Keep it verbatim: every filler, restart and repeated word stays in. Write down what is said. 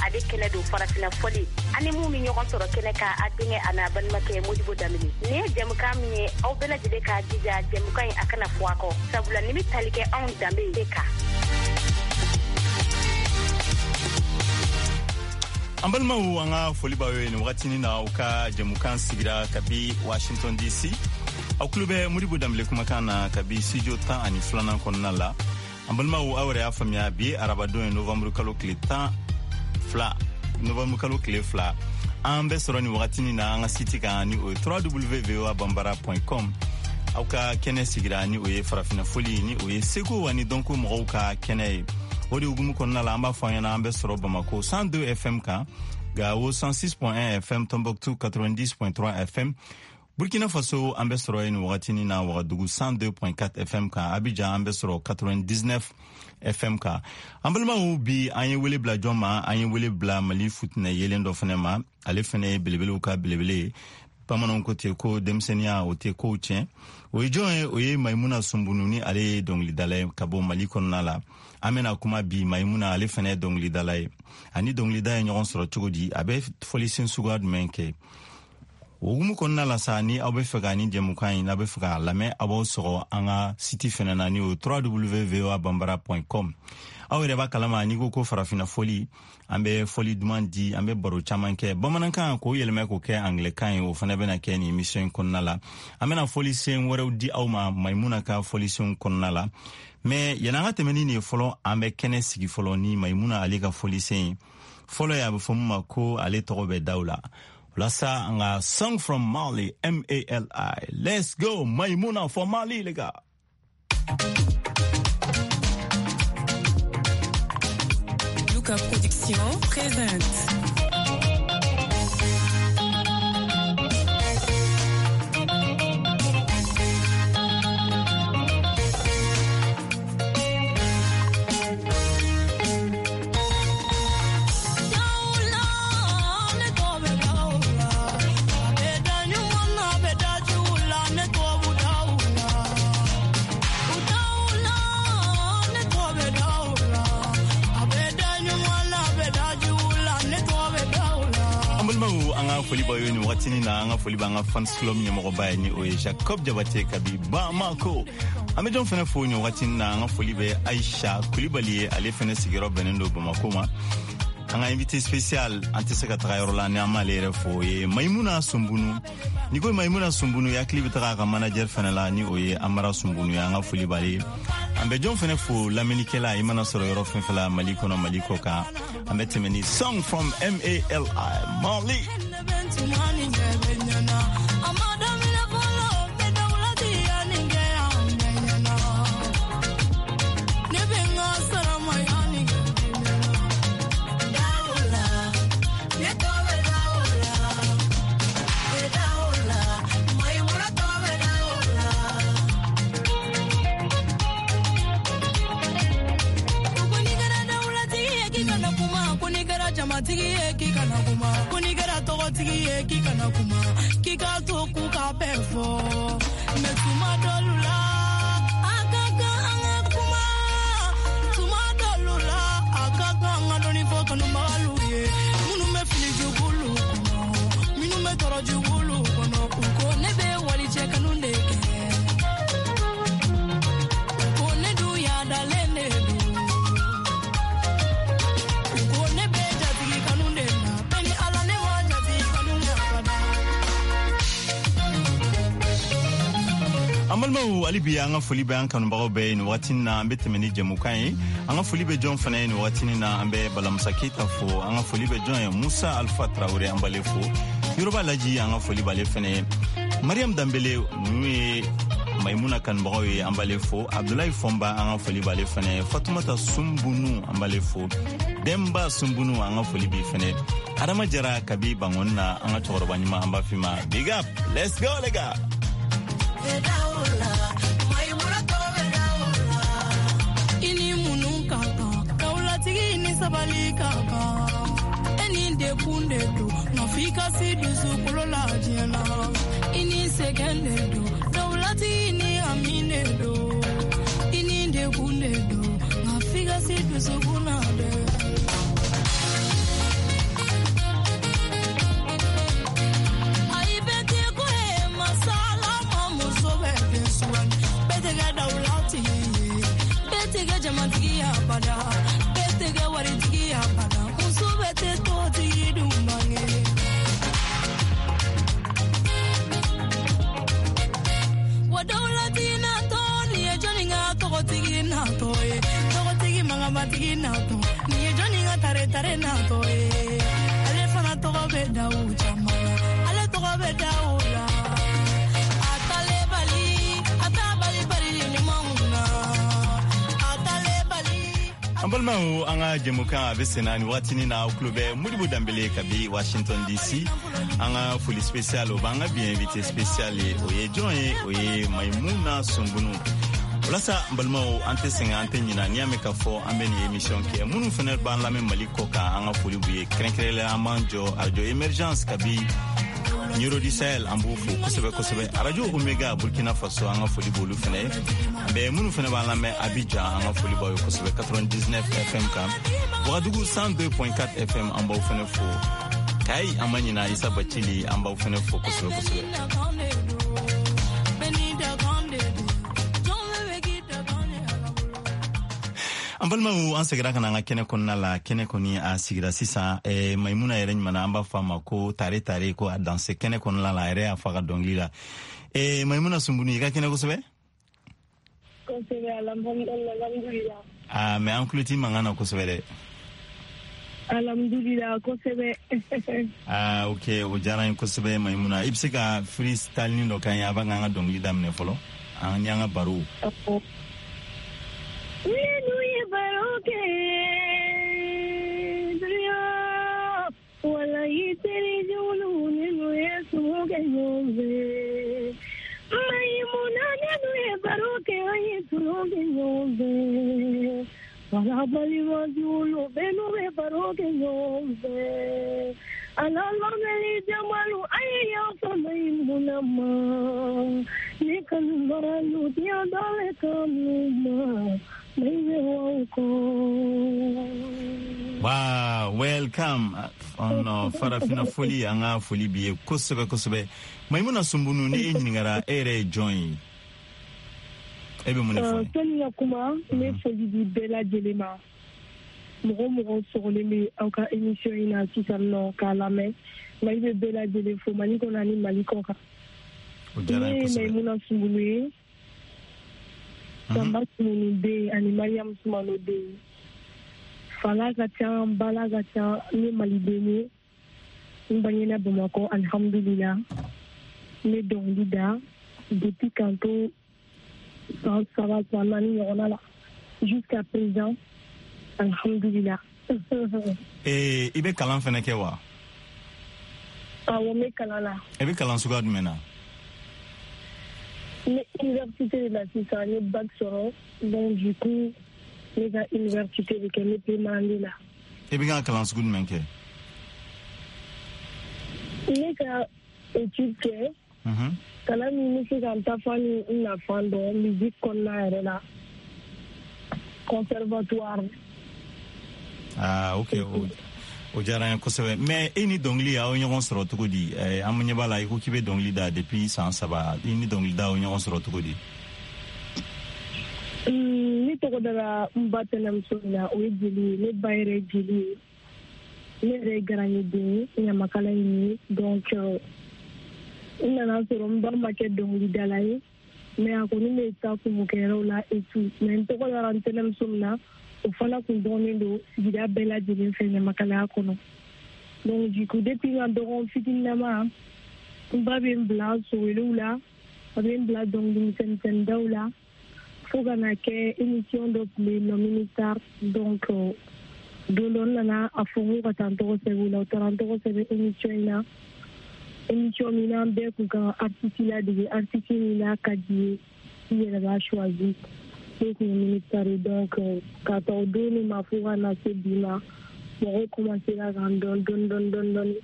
Ale kɛnɛ don farafinna fɔli. Ani mun bɛ ɲɔgɔn sɔrɔ kɛnɛ kan, a denkɛ a n'a balimakɛ Modibo Danbele. Nin ye jɛmukan min ye, aw bɛɛ lajɛlen k'a jija jɛmukan in a kana fɔ a kɔ. Sabula nin bɛ tali kɛ anw danbe de kan. An balimaw, an ka foli b'aw ye nin wagatinin na, aw ka jɛmukan sigira kabi Washington D C. Aw tulo bɛ Modibo Danbele kumakan na kabi studio tan ani filanan kɔnɔna la. An balimaw, aw yɛrɛ y'a faamuya, bi ye arabadon ye, novembre kalo tile tan fila, novembre kalo tile fila. An bɛ sɔrɔ nin wagatinin na an ka site kan, ni o ye w w w voa bambara point com. Aw ka kɛnɛ sigira, ni o ye farafinna foli, ni o ye seko ani dɔnko mɔgɔw ka kɛnɛ ye. O de hukumu kɔnɔna la, an b'a fɔ an ɲɛna, an bɛ sɔrɔ Bamako cent deux F M kan, Gawo cent six point un F M, Tombouctou quatre-vingt-dix point trois F M, Burkina Faso an bɛ sɔrɔ yen nin wagatinin na Wagadugu cent deux point quatre F M kan, Abidjan an bɛ sɔrɔ quatre-vingt-dix-neuf F M kan. An balimaw, bi an ye wele bila jɔn ma? An ye wele bila Mali futinɛ yelen dɔ fɛnɛ ma. Ale fɛnɛ ye belebelew ka belebele ye. Bamananw ko ten ko denmisɛnninya o tɛ kow tiɲɛ. O ye jɔn ye? O ye Mayimuna Sunbunu, ni ale ye dɔnkilidala ye ka bɔ Mali kɔnɔna la. An bɛna kuma bi Mayimuna, ale fɛnɛ ye dɔnkilidala ye, ani dɔnkilida ye ɲɔgɔn sɔrɔ cogo di, a bɛ fɔlisen suguya jumɛn kɛ? O hukumu kɔnɔna la sa, ni aw bɛ fɛ ka ni jɛmukan in, n'aw bɛ fɛ k'a lamɛn, aw b'aw sɔgɔ an ka site fɛnɛ na, ni o w w w voa bambara point com. Aw yɛrɛ b'a kalama, n'i ko ko farafinna fɔli, an bɛ fɔli duman di, an bɛ baro caman kɛ bamanankan k'o yɛlɛmɛ k'o kɛ angilɛkan ye. O fana bɛna kɛ nin émission in kɔnɔna la. An bɛna fɔlisen wɛrɛw di aw ma Mayimuna ka fɔlisenw kɔnɔna la. Mais yan'an ka tɛmɛ ni nin ye fɔlɔ, an bɛ kɛnɛ sigi fɔlɔ ni Mayimuna ale ka fɔlisen ye fɔlɔ ye, a bɛ fɔ min ma ko ale tɔgɔ bɛ daw la. Walasa an ka Song from Mali, M A L I. Let's go, Maïmouna for Mali, les gars. Luca Production présente. An balimaw, an ka foli b'aw ye nin wagatinin na. An ka foli b'an ka fans club ɲɛmɔgɔba ye, ni o ye Jacob Jabate kabi Bamako. An bɛ jɔn fɛnɛ fo nin wagatinin na? An ka foli bɛ Aisha Kulibali ye, ale fɛnɛ sigiyɔrɔ bɛnnen don Bamako ma. An ka invité spécial, an tɛ se ka taga yɔrɔ la ni an m'ale yɛrɛ fo, o ye Maimuna Sunbunu. N'i ko Maimuna Sunbunu, hakili bɛ taga a ka manager fɛnɛ la, ni o ye Amara Sunbunu ye. An ka foli b'ale ye. An bɛ jɔn fɛnɛ fo? Lamɛnnikɛla, i mana sɔrɔ yɔrɔ fɛn fɛn la Mali kɔnɔ, Mali kɔ kan, an bɛ tɛmɛ ni Song from M A L I, Mali. Jamatigi ye k'i kana kuma, ko n'i kɛra tɔgɔtigi ye k'i kana kuma, k'i ka to k'u ka bɛɛ fɔ. Mɛ tuma dɔlu la a ka kan an ka kuma, tuma dɔlu la a ka kan an ka dɔɔni fɔ kanubagalu ye, minnu bɛ fili jugulu kɔnɔ, minnu bɛ tɔɔrɔ jugulu kɔnɔ. U ko ne bɛ walicɛ kanu de kɛ, u ko ne dun yadalen de don, u ko ne bɛ jatigi kanu de la. Bɛɛ ni Ala, ne ma jatigi kanu kɛ abada. An balimaw, hali bi an ka foli bɛ an kanubagaw bɛɛ ye nin wagatinin na. An bɛ tɛmɛ ni jɛmukan ye. An ka foli bɛ jɔn fana ye nin wagatinin na? An bɛ Balamusa Keyita fo. An ka foli bɛ jɔn ye? Musa Alfa Tarawele, an b'ale fo. Yoroba Laji, an ka foli b'ale fɛnɛ ye. Mariam Danbele, ninnu ye Maimuna kanubagaw ye, an b'ale fo. Abdulayi Fɔnba, an ka foli b'ale fɛnɛ ye. Fatumata Sunbunu, an b'ale fo. Denba Sunbunu, an ka foli b'i fɛnɛ. Adama Jara kabi Bangɔni na, an ka cɛkɔrɔba ɲuman, an b'a f'i ma big up. Let's go, les gars. I ni munu ka kan, dawulatigi ni sabali ka kan, e ni dekun de don nka f'i ka si dusukolo la diɲɛ na. I ni sɛgɛn de don, dawulatigi ni hami de don. I ni dekun de don nka f'i ka si dusukun na dɛ. u caman na ale tɔgɔ bɛ da u la a t'ale bali a t'a bali bali ɲumanw na a t'ale bali. An balimaw, an ka jɛmukan a bɛ senna ni wagatinin na. Aw tulo bɛ Modibo Danbele kabi Washington D C. An ka foli spécial, o b'an ka bi invité spécial ye. O ye jɔn ye? O ye Maimuna Sumbunu. Walasa n balimaw, an tɛ sɛgɛn, an tɛ ɲina. N'i y'a mɛn k'a fɔ an bɛ nin émission kɛ, minnu fana b'an lamɛn Mali kɔ kan, an ka foli b'u ye. Kɛrɛnkɛrɛnlenya, an b'an jɔ Arajo Émergence kabi Nioro du Sahel, an b'u fo kosɛbɛ kosɛbɛ. Arajo Omega Burkina Faso, an ka foli b'olu fana ye. Bɛ minnu fana b'an lamɛn Abidjan, an ka foli b'aw ye kosɛbɛ quatre-vingt-dix-neuf F M kan. Wagadugu cent deux point quatre F M, an b'aw fana fo. Kayi, an ma ɲina Isa Bacili, an b'aw fana fo kosɛbɛ kosɛbɛ. Bɛɛ n'i dakan de don jɔn bɛɛ bɛ k'i dakan ye Ala bolo. An balimaw, an segira ka na an ka kɛnɛ kɔnɔna la. Kɛnɛ kɔni a sigira sisan. eh, maimuna yɛrɛ ɲuman, an b'a fɔ a ma ko tare tare, ko a danse kɛnɛ kɔnɔna la. A yɛrɛ y'a fɔ a ka dɔnkili la. eh, maimuna Sunbunu, i ka kɛnɛ kosɛbɛ? Kosɛbɛ, alhamdulillah. Ah, mais an tulo t'i mankan na kosɛbɛ dɛ. Alhamdulillah, kosɛbɛ. Ah, ok, o diyara n ye kosɛbɛ. Maimuna, i bɛ se ka freestyle dɔ k'an ye avant k'an ka dɔnkili daminɛ fɔlɔ, an ni an ka baro? Minnu ye baro kɛ dunya, walayi teri jugu minnu ye sumu kɛ ɲɔgɔn fɛ. Mayimuna, minnu ye baro kɛ, an ye tulon kɛ ɲɔgɔn fɛ. Wala balima jugu bɛɛ n'u bɛ baro kɛ ɲɔgɔn fɛ. Ala lamɛnni jamalu, a ye yafa Mayimuna ma. Ne kanubagalu diɲɛ dɔle kanu ma mayibe waw kɔ. Wow, welcome on uh, Farafina Foli. An ka foli b'i ye kosɛbɛ kosɛbɛ. Maimuna Sunbunu, ni e ɲininkara e yɛrɛ ye jɔn ye, e bɛ mun de fɔ? Sani ka kuma, n bɛ foli di bɛɛ lajɛlen ma. Mɔgɔ o mɔgɔ sɔgɔlen bɛ aw ka émission in na sisan nɔ k'a lamɛn, Mali bɛ bɛɛ lajɛlen fo, Mali kɔnɔ ani Mali kɔ kan. O diyara n Ne ye ye kosɛbɛ. Mayimuna Sunbunu ye, Sanba Sumunu den ani Mariam Sumano den. Fala ka ca, bala ka ca. Ne ye maliden ye, n bangena Bamakɔ, alhamdulillah. N bɛ dɔnkili da depuis k'an to san saba, san naani ɲɔgɔnna la jusqu'à présent, alhamdulillah. Eh, i bɛ kalan fɛnɛ kɛ wa? Awɔ, n bɛ kalan na. E bɛ kalan suguya jumɛn na? N bɛ université de la sisan. N ye bac sɔrɔ, donc du coup ne ka université de kɛ, n bɛ première année la. E bɛ ka kalan sugu jumɛn kɛ? Ne ka étude kɛ, Mhm. kalan min bɛ se ka n tafan ni n nafan dɔn musique kɔnɔna yɛrɛ la, conservatoire. Ah, ok, o, o diyara n ye kosɛbɛ. Mais e ni dɔnkili, aw ye ɲɔgɔn sɔrɔ cogo di? Eh, an ɲɛ b'a la, i ko k'i bɛ dɔnkili da depuis san saba. I ni dɔnkili da, aw ye ɲɔgɔn sɔrɔ cogo di? Mm, ne tɔgɔ dara n ba tɛnɛmuso min na, o ye jeli ye. Ne ba yɛrɛ ye jeli ye, ne yɛrɛ ye garanɲɛden ye, ɲamakala in ye. Donc euh, n nana sɔrɔ n ba ma kɛ dɔnkilidala ye, mais a kɔni bɛ taa kunmukɛyɔrɔw la et tout. Mais n tɔgɔ dara n tɛnɛmuso min na, o fana kun dɔnnen don sigida bɛɛ lajɛlen fɛ ɲamakalaya kɔnɔ. Donc du coup, depuis n ka dɔgɔn fitininama, n ba bɛ n bila sowelew la, a bɛ n bila dɔnkili misɛnmisɛnnindaw la, fo ka na kɛ émission dɔ tun bɛ yen nɔ, Ministar. Donc euh, don dɔ n nana a fɔ n ko ka taa n tɔgɔ sɛbɛn o la. U taara n tɔgɔ sɛbɛn émission in na, émission min n'an bɛɛ kun kan ka artiste ladege, artiste min n'a ka di ye, i yɛrɛ b'a choisi. Ne kun ye Ministar ye. Donc euh, ka ta o don de ma fo ka na se bi ma, mɔgɔw commencé ra k'an dɔn dɔɔni dɔɔni dɔɔni dɔɔni.